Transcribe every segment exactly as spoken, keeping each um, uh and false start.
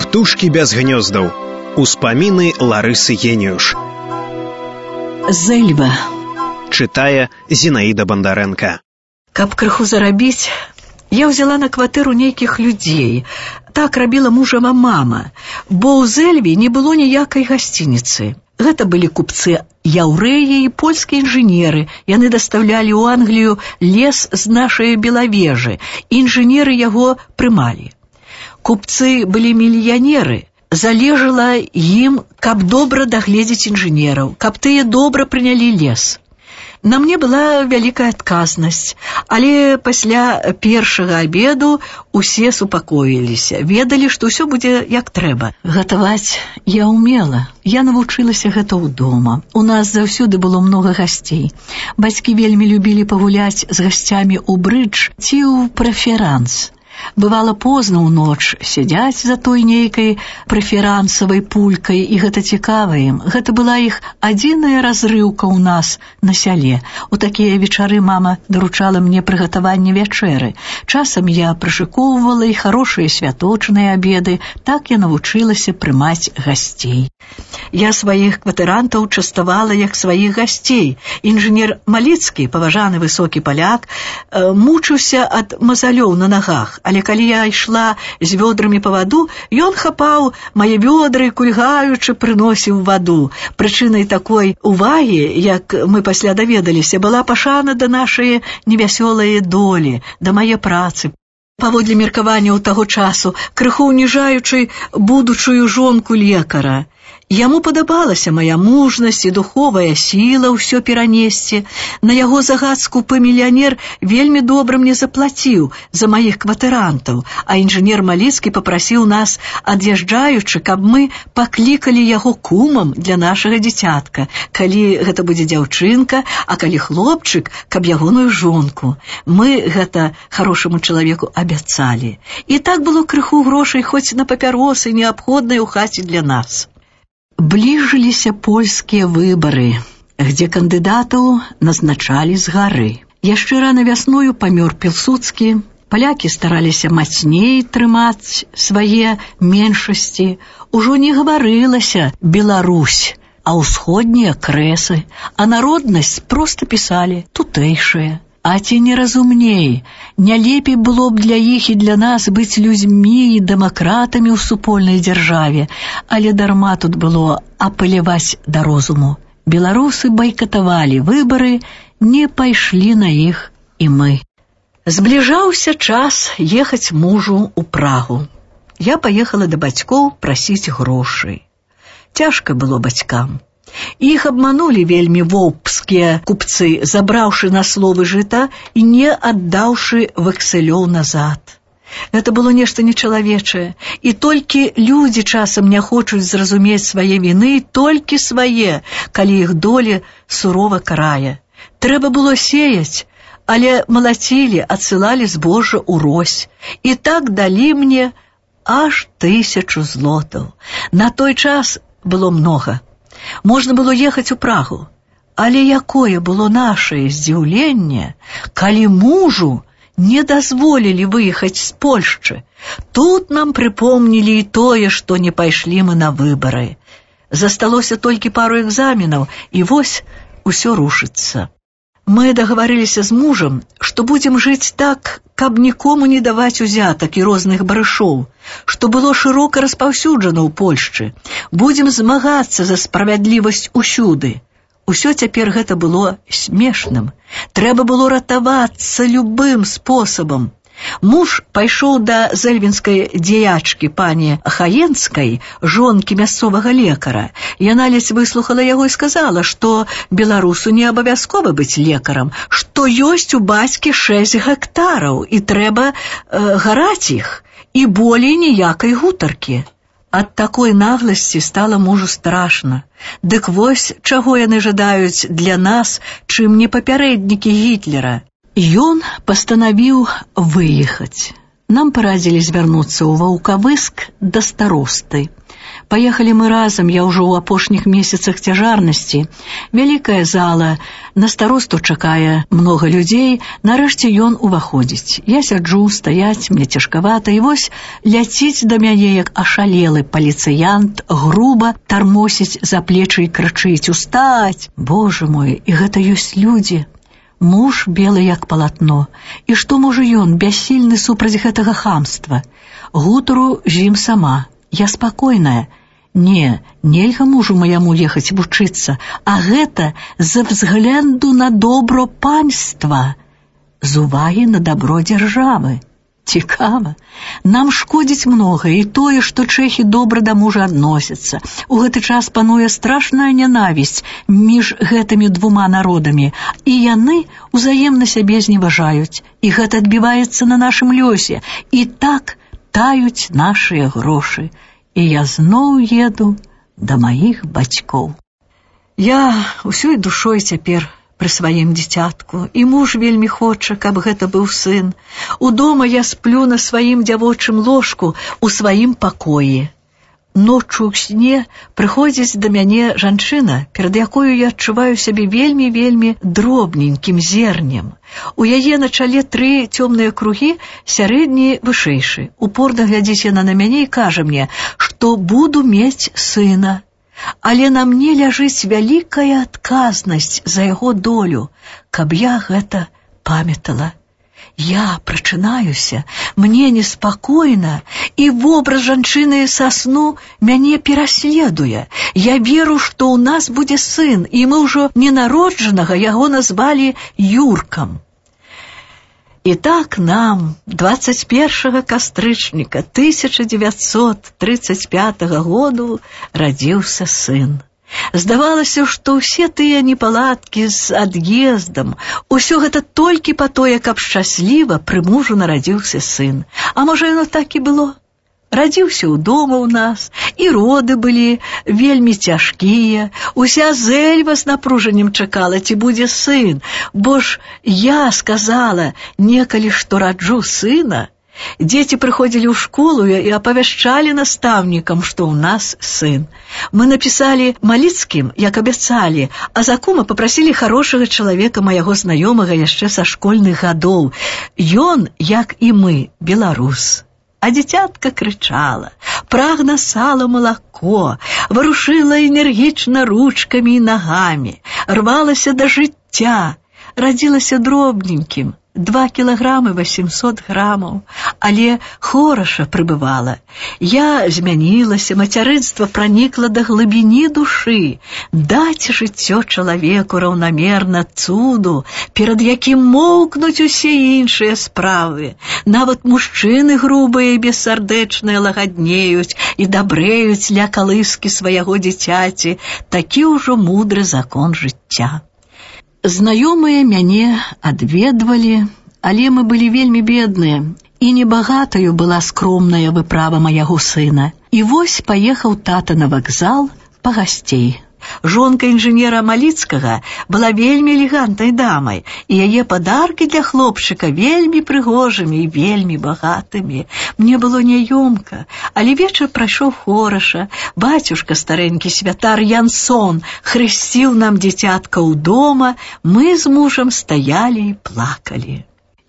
Птушкі без гнёздаў. Успаміны Ларысы Геніюш. Зэльба. Чытае Зінаіда Бандарэнка. Каб крыху зарабіць, я ўзяла на кватэру нейкіх людзей. Так рабіла мужава мама, бо ў Зэльбе не было ніякай гасцініцы. Гэта былі купцы-яўрэі і польскія інжынеры. Яны дастаўлялі ў Англію лес з нашай Белавежы. Інжынеры яго прымалі. Купцы былі мільянеры. Залежала ім, каб добра дагледзець інжынераў, каб тыя добра прынялі лес. На мне была вялікая адказнасць, але пасля першага абеду усе супакоіліся, ведалі, што ўсё будзе як трэба. Гатаваць я ўмела, я навучылася гэта ў дома. У нас заўсёды было многа гасцей. Бацькі вельмі любілі пагуляць з гасцямі ў брыдж ці ў прэферанс. Бывала позна ў ноч, сядзяць за той нейкай прэферансавай пулькай, і гэта цікава ім. Гэта была іх адзіная разрыўка ў нас на сяле. У такія вечары мама даручала мне прыгатаванне вячэры. Часам я прышыкоўвала і харошыя святочныя абеды. Так я навучылася прымаць гасцей. Я сваіх кватэрантаў частавала як сваіх гасцей. Інжынер Маліцкі, паважаны высокі паляк, мучыўся ад мазалёў на нагах. Але калі я ішла з вёдрамі па ваду, ён хапаў мае вёдры, кульгаючы прыносіў ваду. Прычынай такой увагі, як мы пасля даведаліся, была пашана да нашай невясёлай долі, да мае працы. Паводле меркаванняў таго часу, крыху ўніжаючы будучую жонку лекара. Яму падабалася мая мужнасць і духовая сіла ўсё перанесці. На яго загад скупы мільянер вельмі добра мне заплаціў за маіх кватэрантаў, а інжынер Маліцкі папрасіў нас, ад'язджаючы, каб мы паклікалі яго кумам для нашага дзіцятка. Калі гэта будзе дзяўчынка, а калі хлопчык, каб ягоную жонку. Мы гэта харошаму чалавеку абяцалі. І так было крыху грошай хоць на папяросы, неабходныя ў хаце для нас. Бліжыліся польскія выбары, где кандыдатаў назначалі з гары. Яшчэ рана вясною памёр Пілсудскі, палякі стараліся мацней трымаць свае меншасці. Ужо не гаварылася «Беларусь», а ўсходнія крэсы, а народнасць проста пісалі «тутэйшая». А ці не разумней, не лепей было б для іх і для нас быць людзьмі і дэмакратамі ў супольнай дзяржаве, але дарма тут было апеляваць да розуму. Беларусы байкатавалі выбары, не пайшлі на іх і мы. Збліжаўся час ехаць мужу ў Прагу. Я паехала да бацькоў прасіць грошай. Цяжка было бацькам. Іх абманулі вельмі воўпскія купцы, забраўшы на словы жыта і не аддаўшы вэксэлёў назад. Гэта было нешта нечалавечае, і толькі людзі часам не хочуць зразумець свае віны, толькі свае, калі іх доля сурова карае. Трэба было сеяць, але малацілі, адсылалі збожжа ўрось, і так далі мне аж тысячу злотаў. На той час было многа. Можна было ехаць у Прагу, але якое было нашае здзіўленне, калі мужу не дазволілі выехаць з Польшчы. Тут нам прыпомнілі і тое, што не пайшлі мы на выбары. Засталося толькі пару экзаменаў, і вось усё рушыцца. Мы дагаварыліся з мужам, што будзем жыць так, каб нікому не даваць узятак і розных барышоў, што было шырока распаўсюджана ў Польшчы. Будзем змагацца за справядлівасць усюды. Усё цяпер гэта было смешным. Трэба было ратавацца любым спосабам. Муж пайшоў да зэльвінскай дзеячкі пані Хаенскай, жонкі мясцовага лекара. Яна ледзь выслухала яго і сказала, што беларусу не абавязкова быць лекарам, што ёсць у бацькі шэсць гектараў і трэба э, гараць іх, і болей ніякай гутаркі. Ад такой нагласці стала мужу страшна. Дык вось чаго яны жадаюць для нас, чым не папярэднікі Гітлера. Ён пастанавіў выехаць. Нам парадзілі звярнуцца ў Ваўкавыск да старосты. Паехалі мы разам, я ўжо ў апошніх месяцах цяжарнасці. Вялікая зала, на старосту чакае многа людзей, нарэшце ён уваходзіць. Я сяджу, стаяць, мне цяжкавата, і вось ляціць да мяне, як ашалелы паліцыянт, груба тармосіць за плечы і крычыць: «Устаць! Боже мой, і гэта ёсць людзі!» Муж белы як палатно. І што можа ён, бяссільны супраць гэтага хамства? Гутару з ім сама. Я спакойная. Не, нельга мужу маяму ехаць вучыцца, а гэта з взгляду на добро панства, з увагі на добро дзяржавы. Цікава. Нам шкодзіць многа і тое, што чэхі добра да мужа адносяцца. У гэты час пануе страшная нянавісць між гэтымі двума народамі, і яны узаемна сябе зневажаюць, і гэта адбіваецца на нашым лёсе, і так таюць нашыя грошы. І я зноў еду да маіх бацькоў. Я усёй душой цяпер пры сваім дзіцятку, і муж вельмі хоча, каб гэта быў сын. Удома я сплю на сваім дзявочым ложку у сваім пакоі. Ноччу ў сне прыходзіць да мяне жанчына, перад якою я адчуваю сябе вельмі-вельмі дробненькім зернем. У яе на чале тры цёмныя кругі, сярэдні вышэйшы. Упорна глядзіць яна на мяне і кажа мне, што буду мець сына. Але на мне ляжыць вялікая адказнасць за яго долю, каб я гэта памятала. Я прачынаюся, мне неспакойна, і вобраз жанчыны са сну мяне пераследуе. Я веру, што ў нас будзе сын, і мы ўжо ненароджанага яго назвалі Юркам. І так нам двадцать першага кастрычніка тысяча дзевяцьсот тридцать пятага году радзіўся сын. Здавалася, што ўсе тыя непаладкі з ад'ездам, усё гэта толькі па тое, каб шчасліва пры мужу нарадзіўся сын. А можа, яно так і было? Радзіўся ў дома ў нас, і роды былі вельмі цяжкія. Уся Зэльва з напружаннем чакала, ці будзе сын, бо ж я сказала некалі, што раджу сына. Дзеці прыходзілі ў школу і апавяшчалі настаўнікам, што ў нас сын. Мы напісалі Маліцкім, як абяцалі, а за кума папрасілі хорошага чалавека, майго знаёмага яшчэ са школьных гадоў. Ён, як і мы, беларус. А дзіцятка крычала, прагна сала малако, варушыла энергічна ручкамі і нагамі, рвалася да жыцця, радзілася дробненькім, два кілаграмы восемьсот грамаў, але хораша прыбывала. Я змянілася, мацярынства пранікла да глыбіні душы. Даць жыццё чалавеку раўнамерна цуду, перад якім моўкнуць усе іншыя справы. Нават мужчыны грубыя і бессардэчныя лагаднеюць і дабрэюць ля калыскі свайго дзіцяці. Такі ўжо мудры закон жыцця. Знаёмыя мяне адведвалі, але мы былі вельмі бедныя, і небагатаю была скромная выправа майго сына. І вось паехаў тата на вакзал па гасцей. Жонка інжынера Маліцкага была вельмі элегантнай дамай, і яе падаркі для хлопчыка вельмі прыгожымі і вельмі багатымі. Мне было няёмка, але вечар прайшоў хораша. Бацюшка старэнькі святар Янсон хрысціў нам дзіцятка ў дома, мы з мужам стаялі і плакалі.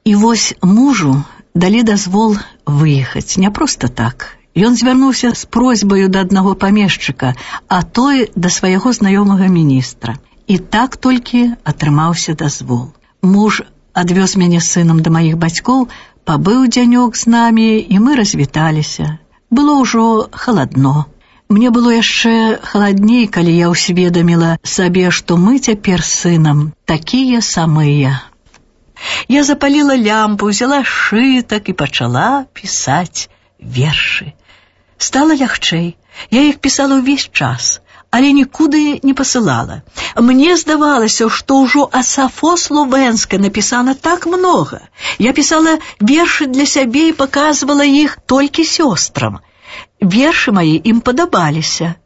І вось мужу далі дазвол выехаць, не проста так. Ён звярнуўся з просьбаю да аднаго памешчыка, а той да свайго знаёмага міністра. І так толькі атрымаўся дазвол. Муж адвёз мяне з сынам да маіх бацькоў, пабыў дзянёк з намі, і мы развіталіся. Было ўжо халадно. Мне было яшчэ халадней, калі я ўсведаміла сабе, што мы цяпер з сынам такія самыя. Я запаліла лямпу, взяла шытак і пачала пісаць вершы. Стала лягчэй. Я іх пісала ўвесь час, але нікуды не пасылала. Мне здавалася, што ўжо о Сафо Словенскай напісана так многа. Я пісала вершы для сябе і паказвала іх толькі сёстрам. Вершы мае ім падабаліся.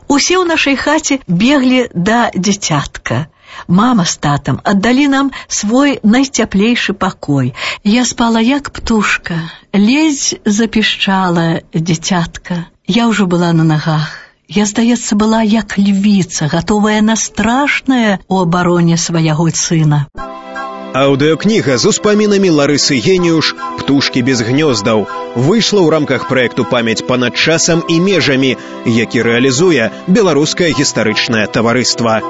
Усе ў нашай хаце беглі да дзіцятка. Мама з татам аддалі нам свой найцяплейшы пакой. Я спала як птушка, ледзь запішчала дзіцятка. Я ўжо была на нагах. Я, здаецца, была як львіца, гатовая на страшнае у абароне свайго сына. Аўдыокніга з успамінамі Ларысы Геніуш «Птушкі без гнёздаў» выйшла ў рамках праекту «Памяць панад часам і межамі», які рэалізуе Беларускае гістарычнае таварыства.